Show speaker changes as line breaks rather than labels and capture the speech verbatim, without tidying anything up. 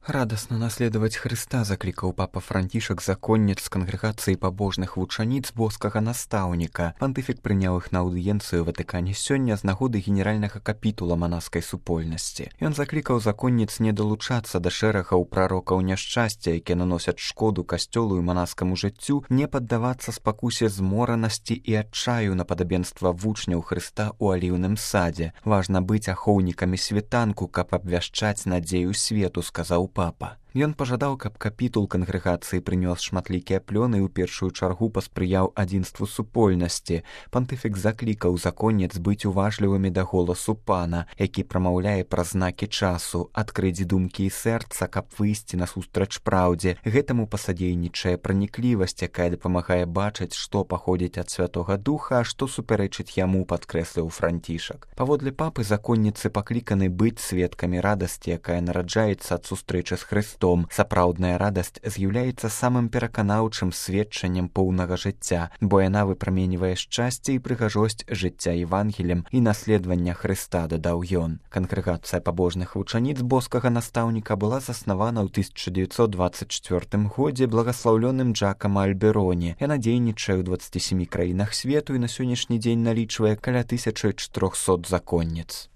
Радасна наследаваць Хрыста заклікаў папа Францішак законніц з кангрэгацыі пабожных вучаніц боскага настаўніка. Пантыфік прыняў іх на аўдыенцыю ў Ватыкане сёння з нагоды генеральнага капітула манаскай супольнасці. Ён заклікаў законніц не далучацца да шэрагаў прарокаў няшчасця, якія наносяць шкоду касцёлу і манаскаму жыццю, не паддавацца спакусе зморанасці і адчаю на падабенства вучняў Хрыста ў аліўным садзе. Важна быць ахоўнікамі світанку, каб абвяшчаць надзею свету, сказаў папа. Ён пажадаў, каб капітул кангрэгацыі прынёс шматлікія плёны і ў першую чаргу паспрыяў адзінству супольнасці. Пантыфік заклікаў законніц быць уважлівымі да голасу пана, які прамаўляе праз знакі часу, адкрыць думкі і сэрца, каб выйсці насустрач праўдзе. Гэтаму пасадзейнічае праніклівасць, якая дапамагае бачыць, што паходзіць ад Святога Духа, а што супярэчыць яму, падкрэсліў Францішак. Паводле папы законніцы пакліканы быць сведкамі радасці, якая нараджаецца ад сустрэчы з Хрыстом. Сапраўдная радасць з'яўляецца самым пераканаўчым сведчаннем поўнага жыцця, бо яна выпраменьвае шчасце і прыгажосць жыцця Евангелем і наследавання Хрыста, дадаў ён. Кангрэгацыя пабожных вучаніц боскага настаўніка была заснавана ў тысяча дзевяцьсот дваццаць чвёртым годзе благаслаўлёным Джакам Альбероні. Яна дзейнічае ў дваццаці сямі краінах свету і на сённяшні дзень налічвае каля тысячы чатырохсот законніц.